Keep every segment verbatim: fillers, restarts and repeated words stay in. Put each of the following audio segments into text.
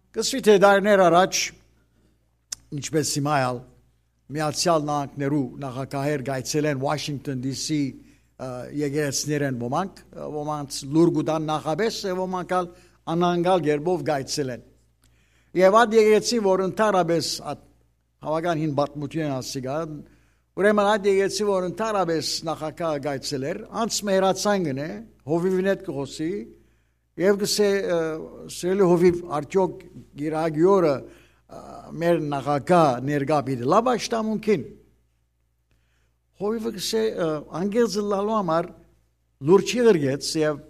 Կսուի թէ դարիներ առաջ, ինչպէս հիմա ալ, Միացեալ Նահանգներու նախագահեր կայցելեն Washington D C, ը, եկեղեցիներէն ոմանք, ը, ոմանց լուր կու տան նախապէս, եւ ոմանք ալ անհանգալ կերպով կայցելեն։ Եւ ատ եկեղեցին, որ ընդհանրապէս ատ հաւական հին պատմութիւն են ասիկա, ուրեմն ատ եկեղեցին, որ ընդհանրապէս նախագահը կայցելեր, անց մը հեռացան կ'ընէ, հովիւին հետ կը խօսի, եւ կ'ըսէ, ը, սիրելի հովիւ, արդեօք Իրագիորը, ը, մեր նախագահ ներկայ պիտի լա պաշտամունքին։ Հովիվը կ'ըսէ, ը, անկեղծ ըլլալու համար լուր չի ղրկեց եւ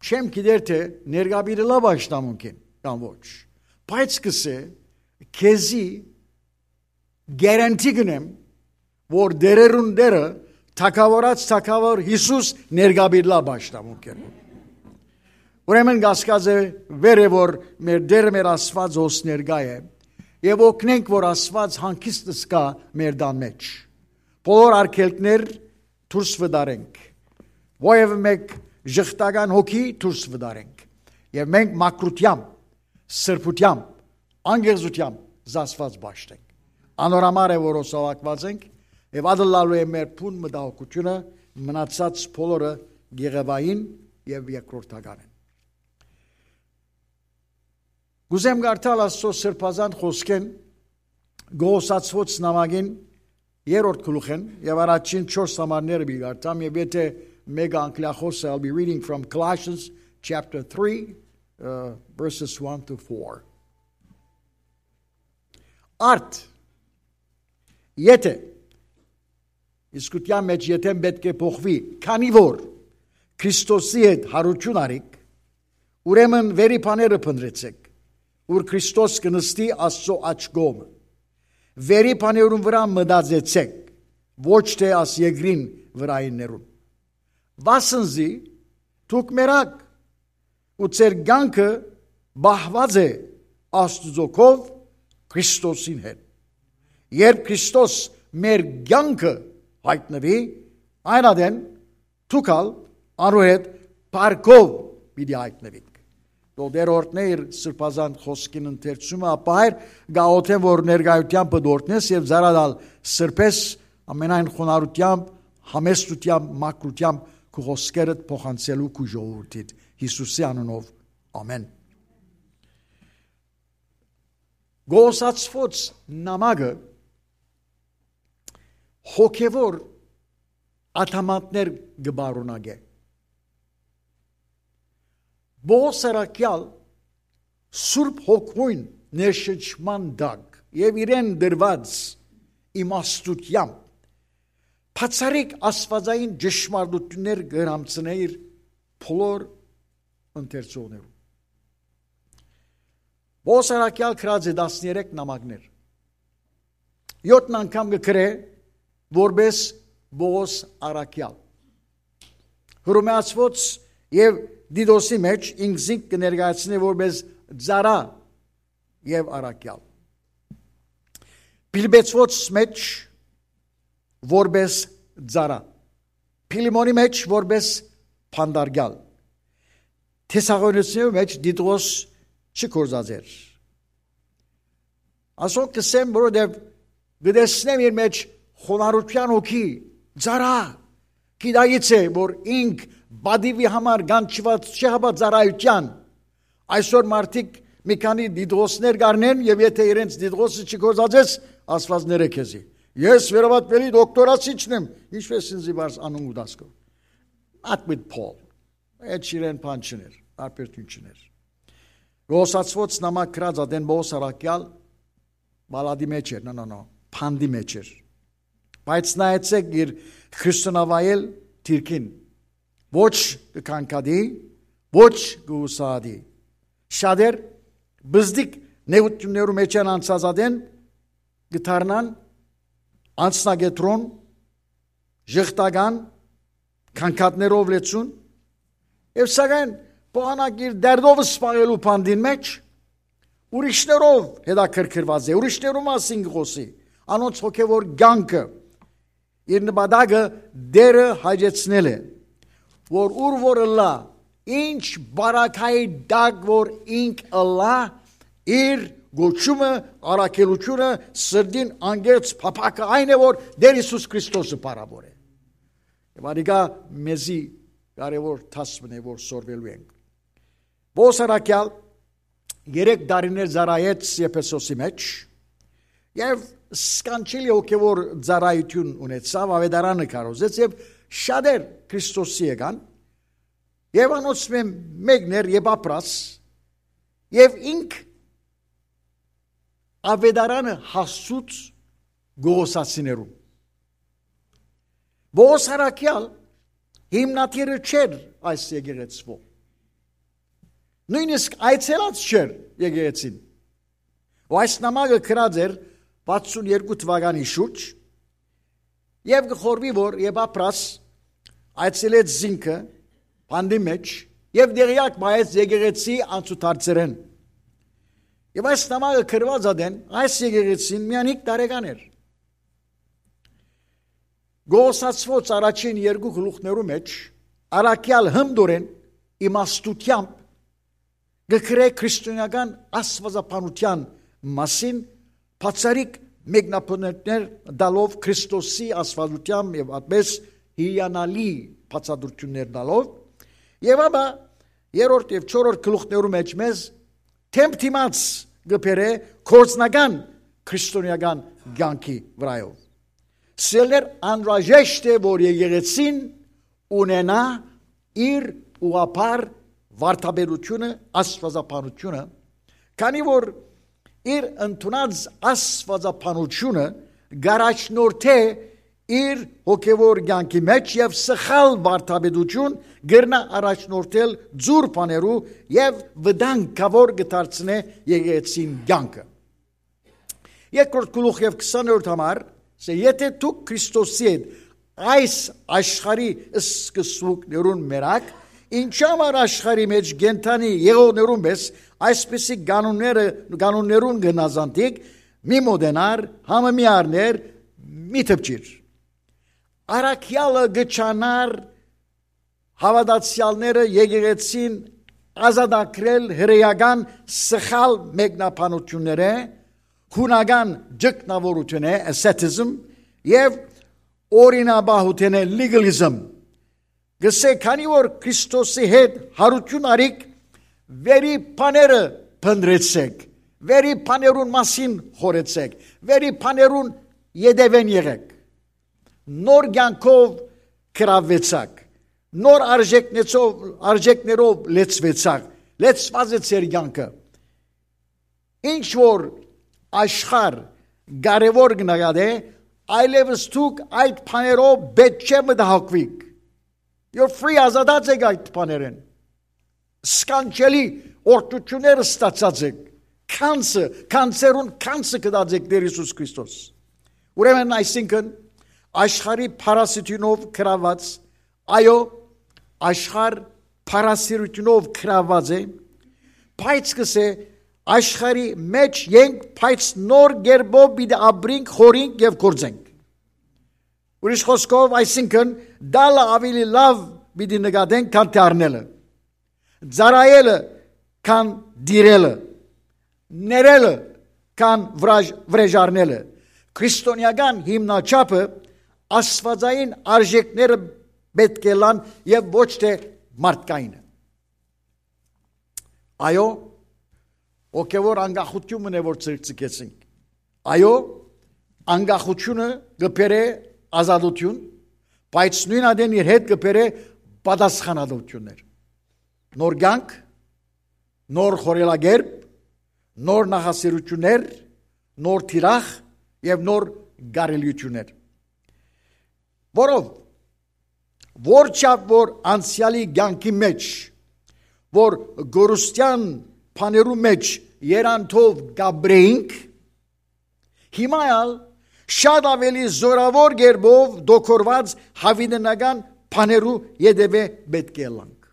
չեմ գիտեր թէ ներկայ պիտի լա պաշտամունքին կամ ոչ։ Բայց կ'ըսէ, քեզի գերենթի կ'ընեմ, որ դերերուն Տէրը, թագաւորաց թագաւոր Յիսուս ներկայ պիտի լա պաշտամունքին։ Ուրեմն կասկածը վեր է, որ մեր Տէրը, մեր Աստուածը հոս ներկայ է, եւ օգնենք, որ Աստուած հանգիստ զգայ մեր տան մէջ։ Բոլոր արգելքներ դուրս վտարենք, որեւէ մէկ ժխտական հոգի դուրս վտարենք, եւ մենք մաքրութեամբ, սրբութեամբ, անկեղծութեամբ զսպված պաշտենք։ Անոր համար է, որ հոսալակուած ենք, եւ ատլալու է մեր բուն մտահոգութիւնը, մնացած բոլորը գեղեվային եւ երկրորդական են։ Կ'ուզեմ կարդալ Աստուծոյ սրբազան խօսքէն Կողոսացւոց նամակին երրորդ գլուխէն եւ առաջին չորս համարները պիտի կարդամ, եւ եթէ մէկը անկլիախոս է, I'll be reading from Colossians chapter three, uh, verses one to four. Արդ, եթէ, իսկ ատեան մէջ եթէն պէտք է փոխուի, քանի որ Քրիստոսի հետ յարութիւն առիք, ուրեմն վերի բաները փնտռեցէք, ուր Քրիստոս կը նստի Աստուծոյ աջ կողմը։ Վերի բաներուն վրայ մտածեցէք, ոչ թէ աս երկրին վրայիններուն։ Վասնզի դուք մեռաք, ու ձեր կեանքը պահուած է Աստուծոյ քով Քրիստոսին հետ։ Երբ Քրիստոս մեր կեանքը յայտնուի, այն ատեն դուք ալ անոր հետ փառքով պիտի յայտնուիք։ Դո Տէր օրհնէ իր սրբազան խօսքին ընթերցումը, ապա Հայր, գաղութեմ, որ ներկայութեամբ պտորտնես եւ զարադալ սրբես, ամենայն խոնարհութեամբ, համեստութեամբ, մաքրութեամբ քու խօսքերդ փոխանցելու քու ժողովուրդիդ, Յիսուսի անունով, ամեն։ Կողոսացւոց նամակը հոգեվոր ադամանդներ կը պարունակէ։ Պողոս առաքեալ Սուրբ Հոգիին ներշնչման տակ եւ իրեն տրուած իմաստութեամբ բացառիկ աստուածային ճշմարտութիւններ կը հրամցնէ իր բոլոր ընթերցողներուն։ Պողոս առաքեալ գրած է տասներեք նամակներ։ Եօթն անգամ կը գրէ որպէս Պողոս առաքեալ։ Հռոմեացւոց եւ Տիտոսի մէջ ինքզինք կը ներկայացնէ որպէս ծառայ եւ առաքեալ։ Փիլիպեցւոց մէջ որպէս ծառայ։ Փիլիմոնի մէջ որպէս փանդարկեալ։ Թեսաղոնեցիներու մէջ Տիտոս չի գործած էր։ Ասոնք կ'ըսեմ, որովհետեւ կը տեսնեմ իր մէջ խոնարհութեան հոգի, ծառայ, գիտակից է, որ ինք պատիւի համար կանչուած չէ, հապա ծառայութեան։ Այսօր մարդիկ մի քանի Տիտոսներ կ'առնեն եւ եթէ իրենց Տիտոսը չի գործածես, Աստուած ներէ քեզի։ Ես վերաբատվելի դոկտորասիչն եմ, ինչպես ինձի բարձ անուն կու դաս քո։ Not with Paul. Այդ իրեն բան չներ, տարբերտուն չներ։ Կողոսացւոց նամակ գրած ատեն Պողոս առաքեալ պալատի մէջ էր, no, no, no, փանդի մէջ էր։ Բայց նայեցէք իր քրիստոնավայել դիրքին, ոչ կը քանքատի, ոչ կը ուսահատի։ Շատեր բզդիկ նեղութիւններու մէջ են անցած ատեն, կը դառնան անձնակեդրոն, ժխտական, քանքատներով լեցուն, եւ սակայն պողանակ իր դերդով սպաղելու փանդին մէջ, ուրիշներով հետաքրքրված է, ուրիշներու մասին կը խօսի, անոնց հոգեվոր կեանքը, իր նպատակը Տէրը հաճեցնել է, որ ուր որ ըլլայ, ինչ բարակայի տակ որ ինք ըլլայ, Իր կոչումը, առաքելութիւնը, սրտին անկեղծ փափաքը այն է, որ Տէր Յիսուս Քրիստոսը փառաւոր է։ Եւ անիկա մեզի կարեւոր դաս մնե, որ սորվելու ենք։ Պողոս առաքեալ երեք տարիներ ծառայեց Եփեսոսի մեջ եւ սքանչելի հոգեվոր ծառայութիւն ունեցաւ, աւետարանը քարոզեց եւ շատեր Քրիստոսի եկան եւ անոնցմէ մեկն էր Եփապրաս, եւ ինք աւետարանը հասցուց Կողոսացիներուն։ Պողոս առաքեալ հիմնադիրը չէր այս եկեղեցւոյ։ Նոյնիսկ այցելած չէր եկեղեցին։ Ու այս նամակը գրած էր վաթսուն երկու թուականի շուրջ, եւ կը խորհուի, որ Եփապրաս այցելեց զինքը բանտի մեջ եւ տեղեակ մայեց եկեղեցի անցուդարձերէն։ Եւ այս նամակը գրուած ատեն այս եկեղեցին միայն հինգ տարեկան էր։ Կողոսացուոց առաջին երկու գլուխներու մեջ առաքեալ հմտորեն իմաստութեամբ կը գրէ քրիստոնեական աստուածաբանութեան մասին, բացառիկ մեկնաբանութիւններ տալով Քրիստոսի աստուածութեան եւ այդպես հիանալի բացատրութիւններ տալով, եւ ապա երրորդ եւ չորրորդ գլուխներու մեջ մեզ դէմ դիմաց կը բերէ գործնական քրիստոնեական կյանքի վրայով։ Սիրելիներ, անհրաժեշտ է, որ եկեղեցին ունենայ իր ուղղափառ վարդապետութիւնը, աստուածաբանութիւնը, քանի որ իր ընդունած աստուածաբանութիւնը կառաջնորդէ իր հոգեվոր կյանքի մեջ եւ սխալ վարդապետութիւն կրնայ առաջնորդել ձուր բաներու եւ վտանգաւոր կը դարձնէ եկեղեցին կյանքը։ Երկրորդ գլուխ եւ քսաներորդ համար, սա, եթե դուք Քրիստոսի հետ այս աշխարհի սկզբունքներուն մեռաք, ինչու համար աշխարհի մեջ կենդանի եղողներուն պէս այսպիսի կանոնները, կանոններուն գնազանդիք, մի մոտենար, համը մի առներ, մի դպչիր։ Առաքեալը կը չանար հաւատացեալները եկեղեցին ազատագրել հրեական սխալ մեկնաբանութիւններէ, հունական ճգնաւորութիւնէ, asceticism, եւ օրինապահութենէ, legalism։ Կսէ, քանի որ Քրիստոսի հետ յարութիւն առիք, վերի բաները փնտռեցէք, վերի բաներուն մասին խորեցէք, վերի բաներուն ետեւէն եղէք։ Նոր կյանքով կրաւեցաք, նոր արժեքներով, արժեքներով լեցուեցաք, լեցուած է ձեր կյանքը։ Ինչ որ աշխարհ կարեւոր կը նկատէ, այլեւս դուք այդ բաներով պէտք չէ մտահոգուիք։ You're free, ազատած եք այդ բաներէն։ Սքանչելի օրհնութիւններ ստացած եք։ Գանձը, գանձերուն գանձը կտած եք Տէր Յիսուս Քրիստոս։ Ուրեմն, այսինքն, աշխարհի փարասիտիւնով գրաւած, այո, աշխարհ փարասիրութիւնով գրաւած է, բայց կսէ, աշխարհի մեջ ենք, բայց նոր կերպով պիտի ապրենք, խորհենք եւ գործենք։ Ուրիշ խօսքով, այսինքն, տալը աւելի լաւ պիտի նկատենք, քան թե առնելը, ծառայելը, քան տիրելը, ներելը, քան վրաժ-, վրեժառնելը։ Քրիստոնեական հիմնաչափը աստուածային արժեքները պէտք է լան եւ ոչ թե մարդկայինը։ Այո, հոգեվոր անկախութիւնն է, որ ցկցկեցինք։ Այո, անկախութիւնը կը բերէ ազատութիւն, բայց նոյն ատեն իր հետ կը բերէ պատասխանատվութիւններ։ Նոր կյանք, նոր խորհելակերպ, նոր նախասիրութիւններ, նոր թիրախ եւ նոր կարելիութիւններ։ Որով, որչափ որ անցեալի կյանքի մեջ, որ գորուստեան բաներու մեջ երանդով կապրեինք, հիմա ալ շատ աւելի զորաւոր կերպով դոկորված հավիտենական բաներու ետեւէ պէտք է ըլլանք։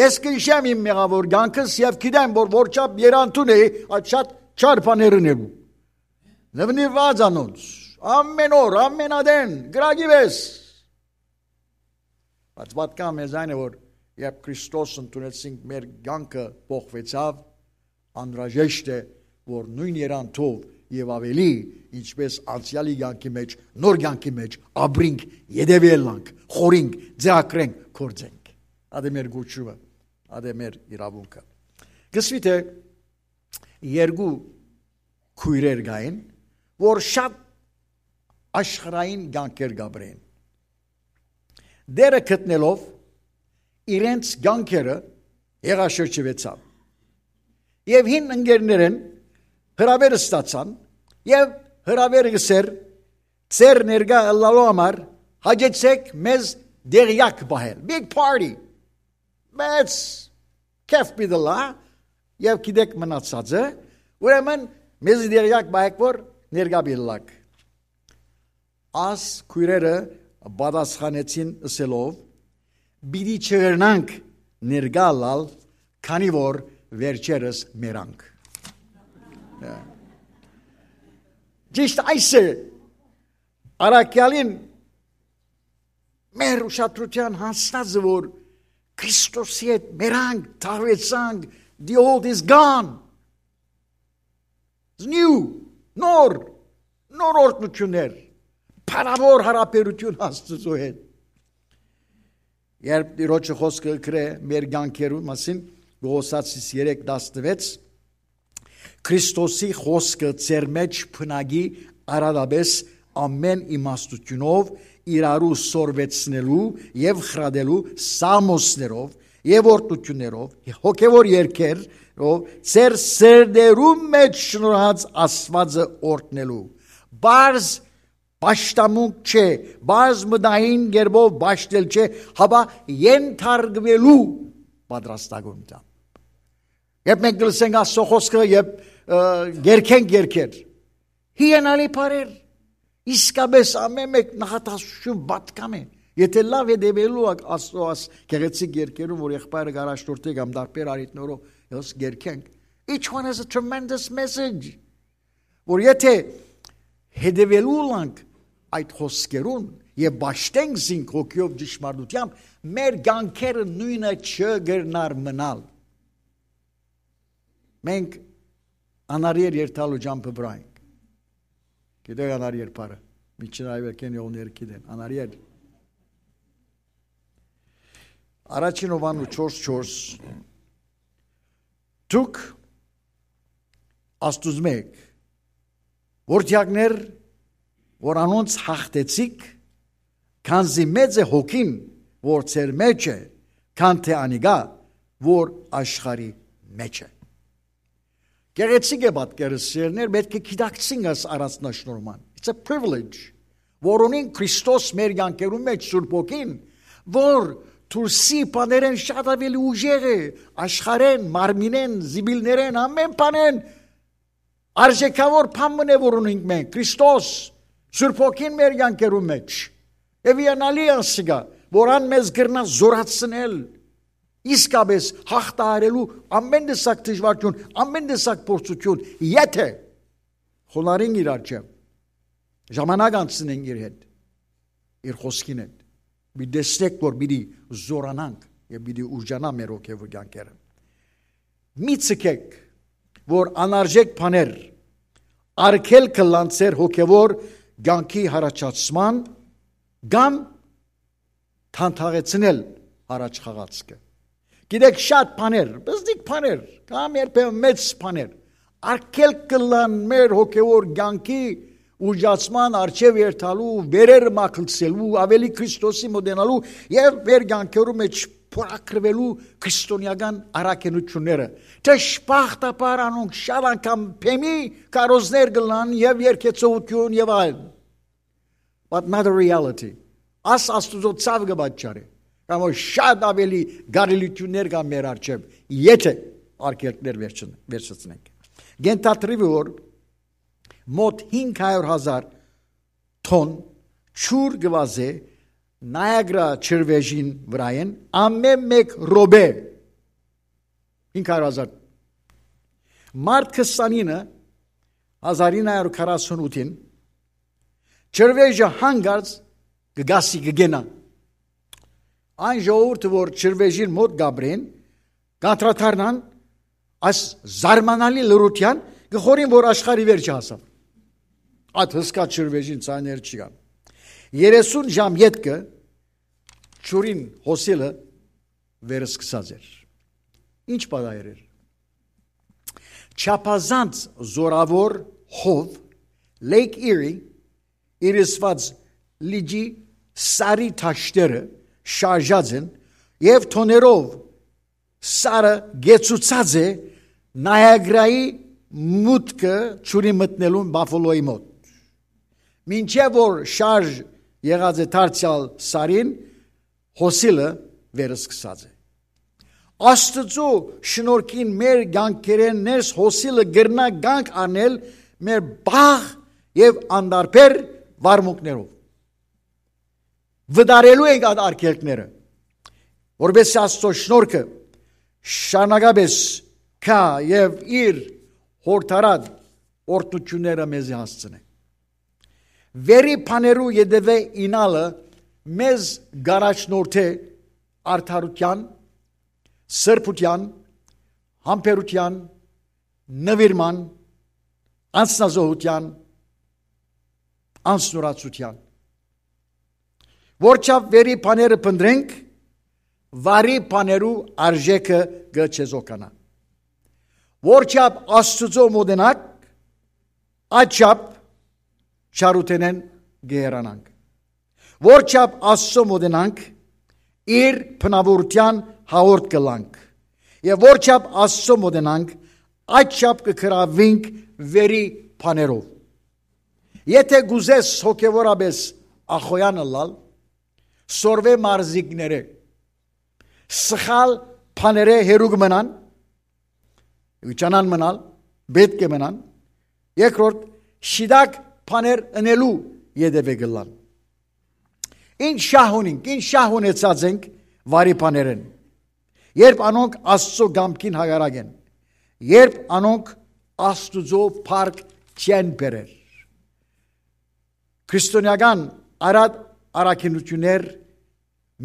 Ես կնշեմ իմ մեղաւոր կյանքս եւ գիտեմ, որ որչափ երանդուն էի այդ շատ չար բաներուն եղու։ Նվնիված անոնց, ամեն օր, ամեն ատեն, կրակի վես։ Բայց պատկան մեզ այն է, որ երբ Քրիստոս ընդունեցինք, մեր կյանքը փոխվեցաւ, անհրաժեշտ է, որ նոյն եռանդով եւ աւելի, ինչպէս անցեալի կեանքի մէջ, նոր կեանքի մէջ ապրինք, ետեւի ըլլանք, խորհինք, ձեռագրենք, գործենք։ Ատե մեր գոչումը, ատե մեր իրաւունքը։ Կ'ըսուի թէ երկու քոյրեր կային, որ շատ աշխարհային կեանքեր կ'ապրէին։ Դերը գտնելով իրենց կեանքերը, յեղաշրջուեցաւ։ Եւ հին ընկերներէն հրաւեր ստացան եւ հրաւեր ըսեր. «Ձեր ներկայ ըլլալու համար հաճեցէք մեզ դեղեակ պահել»։ Big party։ Մեծ քեֆ պիտի լա, եւ գիտեք մնացածը, ուրեմն մեզի դեղեակ պահեք, որ ներկայ պիտի լաք։ Աս քոյրերը պատասխանեցին ըսելով. «Պիտի չկրնանք ներկայ ըլլալ, քանի որ վերջերս մեռանք»։ Ճիշտ այս է առաքեալին մեր ուշադրութեան հասնածը, որ Քրիստոսի հետ մեռանք, թաղուեցանք, the old is gone. It's new, նոր, նոր օրհնություններ, փառաւոր յարաբերութիւն Աստուծոյ հետ։ Երբ Տիրոջը խօսքը կրէ մեր կեանքերու մասին, Կողոսացիս երեք տասնվեց, Քրիստոսի խօսքը ձեր մէջ բնակի արատապէս ամէն իմաստութիւնով, իրարու սորվեցնելու եւ խրատելու սաղմոսներով եւ օրհնութիւններով, հոգեւոր երգերով, ձեր սրտերու մէջ շնորհած Աստուածը օրհնելու։ Պարզ պաշտամունք չէ, պարզ մտային կերպով պաշտել չէ, հապա ենթարկուելու պատրաստակամութեան։ Երբ մենք կլսենք Աստծո խօսքը, երբ, ը, կերգենք երգեր, հիանալի բառեր, իսկապէս ամէն մէկ նախատասություն պատկան է։ Եթե լաւ հետեւելու եք Աստծո աս գեղեցիկ երգերուն, որ եղբայրը կ'առաջնորդի կամ տարբեր առիթներով ըս կերգենք, each one has a tremendous message, որ եթե հետեւելու ըլանք այդ խօսքերուն եւ պաշտենք զինք հոգիով ճշմարտութեամբ, մեր կեանքերը նոյնը չկրնար մնալ։ Մենք անարիեր երթալու ճամբը վրայ ենք։ Գիտեք անարիեր բառը, միջին այվերքեն եղունները գիտեն, անարիեր։ Առաջին Յովհաննու չորս չորս. «Դուք Աստուծմէ եք, որդեակներ, որ անոնց յաղթեցիք, քանզի մեծ է հոգին, որ ձեր մէջ է, քան թէ անիկա, որ աշխարհի մէջ է»։ Գեղեցիկ է պատկերը, սիրելիներ, պէտք է գիտակցենք այս առանձնաշնորհման։ It's a privilege, որ ունին Քրիստոս մեր կեանքերուն մէջ, Սուրբ Հոգին, որ դուրսի բաներէն շատ աւելի ուժեղ է, աշխարհէն, մարմինէն, զիպիլներէն, ամէն բանէն արժեքաւոր բան մըն է, որ ունինք մենք, Քրիստոս, Սուրբ Հոգին մեր կեանքերուն մէջ։ Եւ հիանալի է ասիկա, որ ան մեզ կրնայ զորացնել, իսկապէս յաղթահարելու ամէն տեսակ դժուարութիւն, ամէն տեսակ փորձութիւն, եթե խոնարհենք իր առջեւ, ժամանակ անցնենք իր հետ, իր խօսքին հետ, մի տեսնենք, որ պիտի զորանանք եւ պիտի ուժանայ մեր հոգեւոր կեանքերը։ Մի ձգեք, որ անարժեք բաներ արգելք ըլլան ձեր հոգեւոր կեանքի յառաջացման կամ թանթաղեցնել յառաջ խաղացքը։ Գիտեք, շատ բաներ, բզդիկ բաներ, կամ երբեմն մեծ բաներ, արգելք կ'ըլլան մեր հոգեւոր կեանքի ուժացման առջեւ երթալու, վերերը մագլցելու, աւելի Քրիստոսի մոտենալու եւ մեր կեանքերու մէջ փորագրվելու քրիստոնեական առաքինութիւնները։ Դժբախտաբար անոնք շատ անգամ բեմի քարոզներ կ'ըլլան եւ երգեցողութիւն եւ այլն։ But not a reality. Աս Աստուծոյ ցաւ կը պատճառի, կամ որ շատ աւելի կարելիութիւններ կան մեր առջեւ, եթե արգելքներ վերջն-, վերջացնենք։ Կ'ենթադրուի, որ մոտ հինգ հարիւր հազար թոն ջուր կը վազէ Նայագրա ջրվէժին վրայէն ամէն մէկ րոպէ։ Հինգ հարիւր հազար։ Մարտ քսանինը, հազար ինը հարիւր քառասուն ութին, ջրվէժը հանկարծ կը գասի, կը կենայ։ Այն ժողովուրդը, որ ջրվէժին մօտ կ'ապրեն, կ'անդրադառնան, Այս զարմանալի լռութեան կը խորին, որ աշխարհի վերջը հասաւ։ Այդ հսկա ջրվէժին ձայներ չկան։ Երեսուն ժամ ետքը ջուրին հոսիլը վերսկսած էր։ Ինչ պատահեր էր։ Չափազանց զօրաւոր հով Լեյք Իրի իրսված լիճի սարի թաշտերը շարժած են եւ թոներով սարը գեցուցած է Նայագրայի մուտքը ջուրի մտնելուն Բաֆոլոյի մոտ։ Մինչեւ որ շարժ եղած է դարձեալ սարին, հոսիլը վերսկսած է։ Աստուծոյ շնորհքին մեր կեանքերէն ներս հոսիլը կրնայ կանգ առնել մեր բաղ եւ անտարբեր վարմունքներով։ Վտարելու ենք այդ արգելքները, որպեսզի Աստուծոյ շնորհքը շարունակապէս գայ եւ իր յորդարած օրհնութիւնները մեզի հասցնէ։ Վերի բաներու ետեւէ իյնալը մեզ կ'առաջնորդէ արդարութեան, սրբութեան, համբերութեան, նուիրման, անձնազոհութեան, անձնուրացութեան։ Որչափ վերի բաները փնտռենք, վարի բաներու արժէքը կը չեզոքանայ։ Որչափ Աստուծոյ մօտենանք, այդչափ չարութենէն կը հեռանանք։ Որչափ Աստուծոյ մօտենանք, իր բնաւորութեան հաղորդ կ'ըլլանք։ Եւ որչափ Աստուծոյ մօտենանք, այդչափ կը գրաւինք վերի բաներով։ Եթէ կ'ուզես հոգեւորապէս ախոյեան ըլլալ, սորվէ մարզիկները, սխալ բաներէ հեռու կը մնան, կը ջանան մնալ, պէտք է մնան, երկրորդ, շիտակ բաներ ընելու ետեւէ կ'ըլլան։ Ինչ շահ ունինք, ինչ շահ ունեցած ենք վարի բաներէն, երբ անոնք Աստուծոյ կամքին հակառակ են, երբ անոնք Աստուծոյ փառք չեն բերեր։ Քրիստոնեական արատ առաքինութիւններ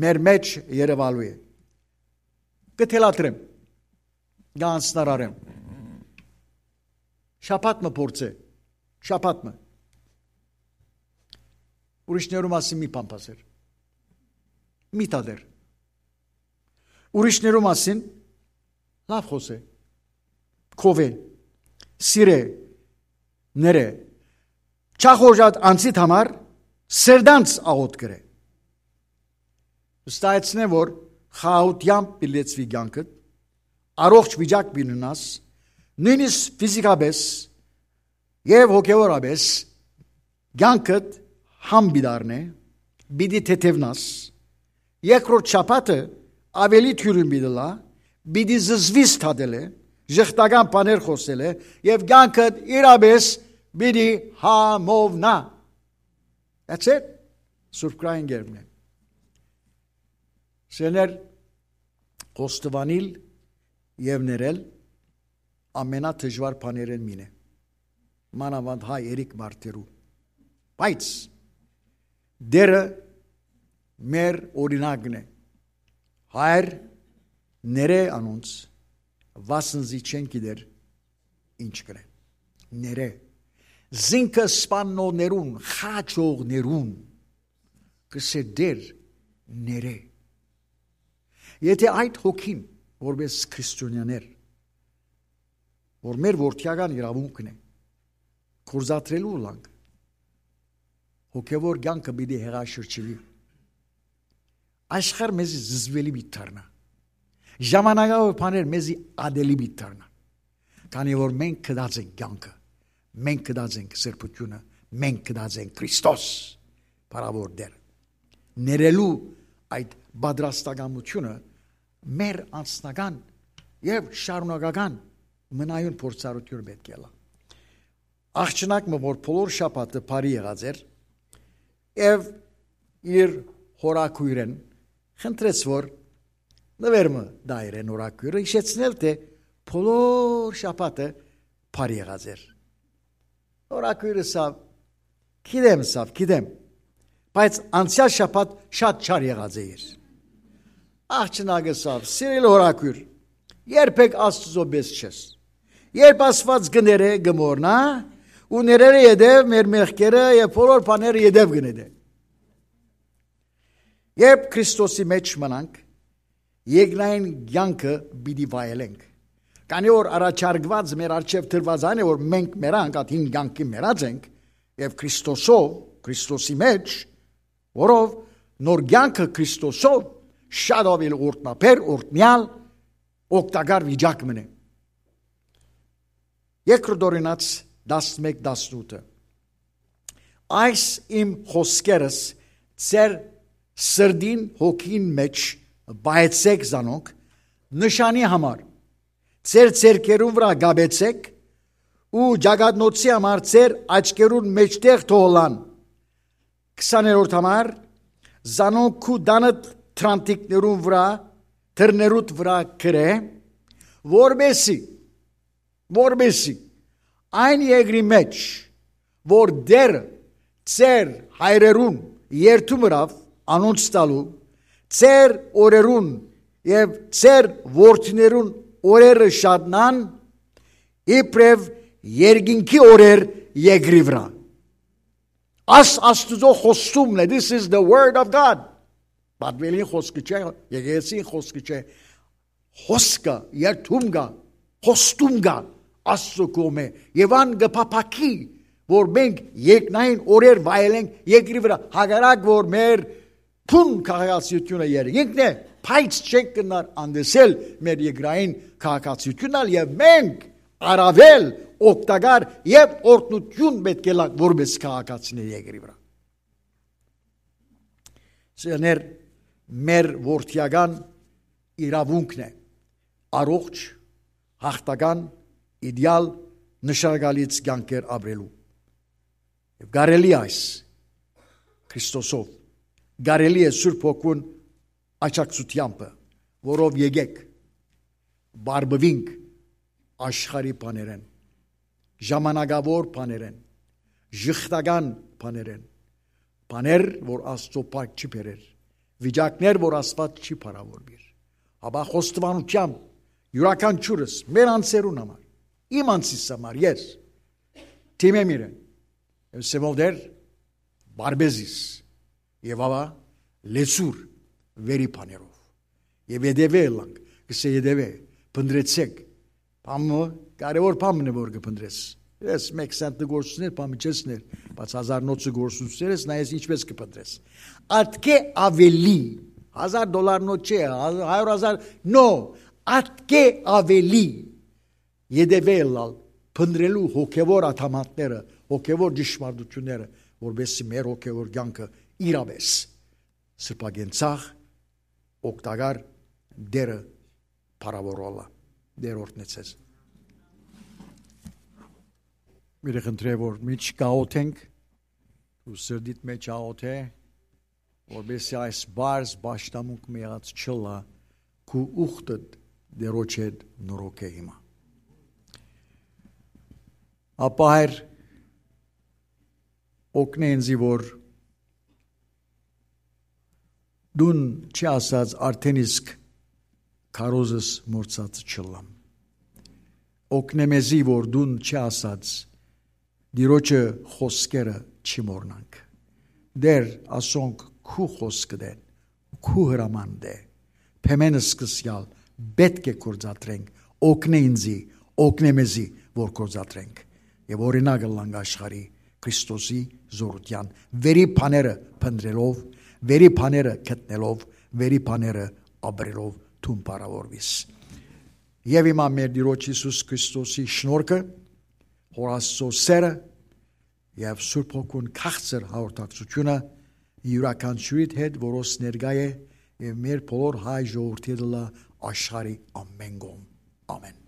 մեր մէջ երեւալու է։ Կը թելադրեմ, կ'անձնարարեմ։ Շաբաթ մը փորձէ, շաբաթ մը։ Ուրիշներու մասին մի բան բասեր։ Մի տատեր։ Ուրիշներու մասին լաւ խօսէ, քովէ, սիրէ, ներէ, չախորժած անձիդ համար սրտանց աղօթք կրէ։ Վստահեցնեմ, որ խաղաղութեամբ պիտի լեցուի կեանքդ, առողջ վիճակ պիտի ունենաս, նոյնիսկ ֆիզիկապէս եւ հոգեւորապէս կեանքդ համ պիտի առնէ, պիտի թեթեւնաս, երկրորդ շաբաթը աւելի թիւրին պիտի ըլլայ, պիտի զզվիս թատելէ, ժխտական բաներ խօսելէ եւ կեանքդ իրապէս պիտի համովնայ։ That's it. Սուրբ Գրային կերպն է։ Սիրելիներ, խոստովանիլ եւ ներել ամենադժուար բաներէն մին է, մանաւանդ հայ երեք մարդերու։ Բայց Տերը մեր օրինակն է։ Հայր, ներէ անոնց, վասնզի չեն գիտեր ինչ կրեն։ Ներէ։ Զինքը սպաննողներուն, խաչողներուն, կ'ըսէ Տեր, ներէ։ Եթէ այդ հոգին, որպես քրիստոնյաներ, որ մեր որդիական իրաւունքն է, գործադրելու ըլլանք, հոգեւոր կեանքը պիտի հեղաշրջուի։ Աշխարհ մեզի զզվելի պիտի դառնայ։ Ժամանակաւոր բաներ մեզի ատելի պիտի դառնան, քանի որ մենք գտած ենք կեանքը, մենք գտած ենք սրբութիւնը, մենք գտած ենք Քրիստոս, փառաւոր Տեր։ Ներելու այդ պատրաստակամությունը մեր անձնական եւ շարունակական մնայուն փորձառութիւնը պէտք է ըլլայ։ Աղջնակ մը, որ բոլոր շաբաթը բարի եղած էր, եւ իր հորաքոյրէն խնդրեց, որ նուեր մը տայ իրեն հորաքոյրը, յիշեցնել, թէ բոլոր շաբաթը բարի եղած էր։ Հորաքոյրը սա, գիտեմ, սա, գիտեմ, բայց անցեալ շաբաթ շատ չար եղած է իր։ Աղջնակը սա, սիրելի հորաքոյր, Երբեք Աստուծոյ պէս չես։ Երբ Աստուած կը ներէ, կը մոռնայ, ու ներելէ յետոյ մեր մեղքերը եւ բոլոր բաները յետոյ կը նետէ։ Երբ Քրիստոսի մէջ մնանք, երկնային կեանքը պիտի վայելենք։ Քանի որ առաջարկուած մեր առջեւ դրուած այն է, որ մենք մեռանք, ատ հին կեանքին մեռած ենք, եւ Քրիստոսով, Քրիստոսի մէջ, որով նոր կեանքը Քրիստոսով շատ աւելի օրհնաբեր, օրհնեալ, օգտակար վիճակ մնե։ Երկրորդ Օրինաց տասնմէկ տասնութը։ Այս իմ խօսքերս ձեր սրտին, հոգին մէջ պահեցէք զանոնք նշանի համար, ձեր ձեռքերուն վրայ կապեցէք ու ճակատնոցի համար ձեր աչքերուն մէջտեղ թողլան։ Քսաներորդ համար, զանոնք քու տանդ թրանտիկներուն վրայ, դռներուդ վրայ գրէ, որպեսի, որպեսի այն երկրի մէջ, որ Տէրը ձեր հայրերուն երդում ըրաւ անոնց տալու, ձեր օրերուն եւ ձեր որդիներուն օրերը շատնան, իբրեւ երկինքի օրեր երկրի վրայ։ Աս Աստուծոյ խոստումն է, this is the word of God. Պատմելին խոսքը չէ, եկեղեցին խոսքը չէ, խոսքը, երդում կայ, խոստում կայ Աստուծոյ կողմէ, եւ ան կը փափաքի, որ մենք երկնային օրեր վայելենք երկրի վրայ, հակառակ որ մեր բուն քաղաքացիությունը երկինքն է, բայց չենք կրնար անտեսել մեր երկրային քաղաքացիությունն ալ, եւ մենք առաւել օգտակար եւ օրհնութիւն պէտք է ըլլանք որպէս քաղաքացիներ երկրի վրայ։ Սիրելիներ, մեր որդիական իրաւունքն է առողջ, յաղթական, իդեալ, նշանակալից կեանքեր ապրելու։ Եւ կարելի է այս Քրիստոսով, կարելի է Սուրբ Հոգուն աջակցութեամբը, որով եկեք, բարբուինք աշխարհի բաներէն, ժամանակաւոր բաներէն, ժխտական բաներէն, բաներ, որ Աստուծոյ փառք չի բերեր, վիճակներ, որ Աստուած չի փառաւորուիր, հապա խոստովանութեամբ իւրաքանչիւրս մեր անձերուն համար, իմ անձիս համար, ես դիմեմ իրեն, եւ սեւով դեր, բարբեզիս, եւ ահա լեցուր վերի բաներով, եւ ետեւէ ըլլանք, կսե ետեւէ, փնտռեցէք, բանը, կարեւոր բան մնը որ կը փնտռես, ես մեկ սենտը գործուններ, բան չես ներ, բայց հազար նոթը գործուններ ես, նայես ինչպես կը փնտռես, ատկէ աւելի, հազար դոլար նոթ չէ, հա-, հարիւր հազար, նո, ատկէ աւելի ետեւէ ըլլալ, փնտռելու հոգեւոր ադամանդները, հոգեւոր ճշմարտությունները, որպեսզի մեր հոգեւոր կեանքը իրապէս սրբագենցաղ, օգտակար, Տէրը փառաւորուի։ Տէր օրհնեցես։ Միրը խնդրէ որ միջ կաղոթենք, ու սրտիդ մեջ աղոթէ, որպեսզի այս բարձ պաշտամունք մը եղած չըլլայ, քու ուխտդ Տէրոջ հետ նորոգէ հիմա։ Ապա Հայր, օգնէ ինձի, որ դուն չի ասած, արդեն իսկ քարոզս մոռցած չըլլամ։ Օգնէ մեզի, որ դուն չի ասած, Տիրոջը խոսքերը չի մոռնանք։ Տէր, ասոնք քու խոսքդ են, քու հրամանդ է։ Փեմեն սկսյալ պէտք է գործադրենք, օգնէ ինձի, օգնէ մեզի, որ գործադրենք։ Եւ օրինակ ըլլանք աշխարհի Քրիստոսի զորութեան, վերի բաները փնտռելով, վերի բաները գտնելով, վերի բաները ապրելով դուն փառաւորուիս։ Եւ հիմա մեր Տիրոջ Յիսուս Քրիստոսի շնորհքը, Հօր Աստուծոյ սէրը եւ Սուրբ Հոգուն քաղցր հաղորդակցությունը իւրաքանչիւրիդ հետ, որոնց ներկայ է, եւ մեր բոլոր հայ ժողովրդի հետ ըլլայ աշխարհի ամէն կողմ։ Ամէն։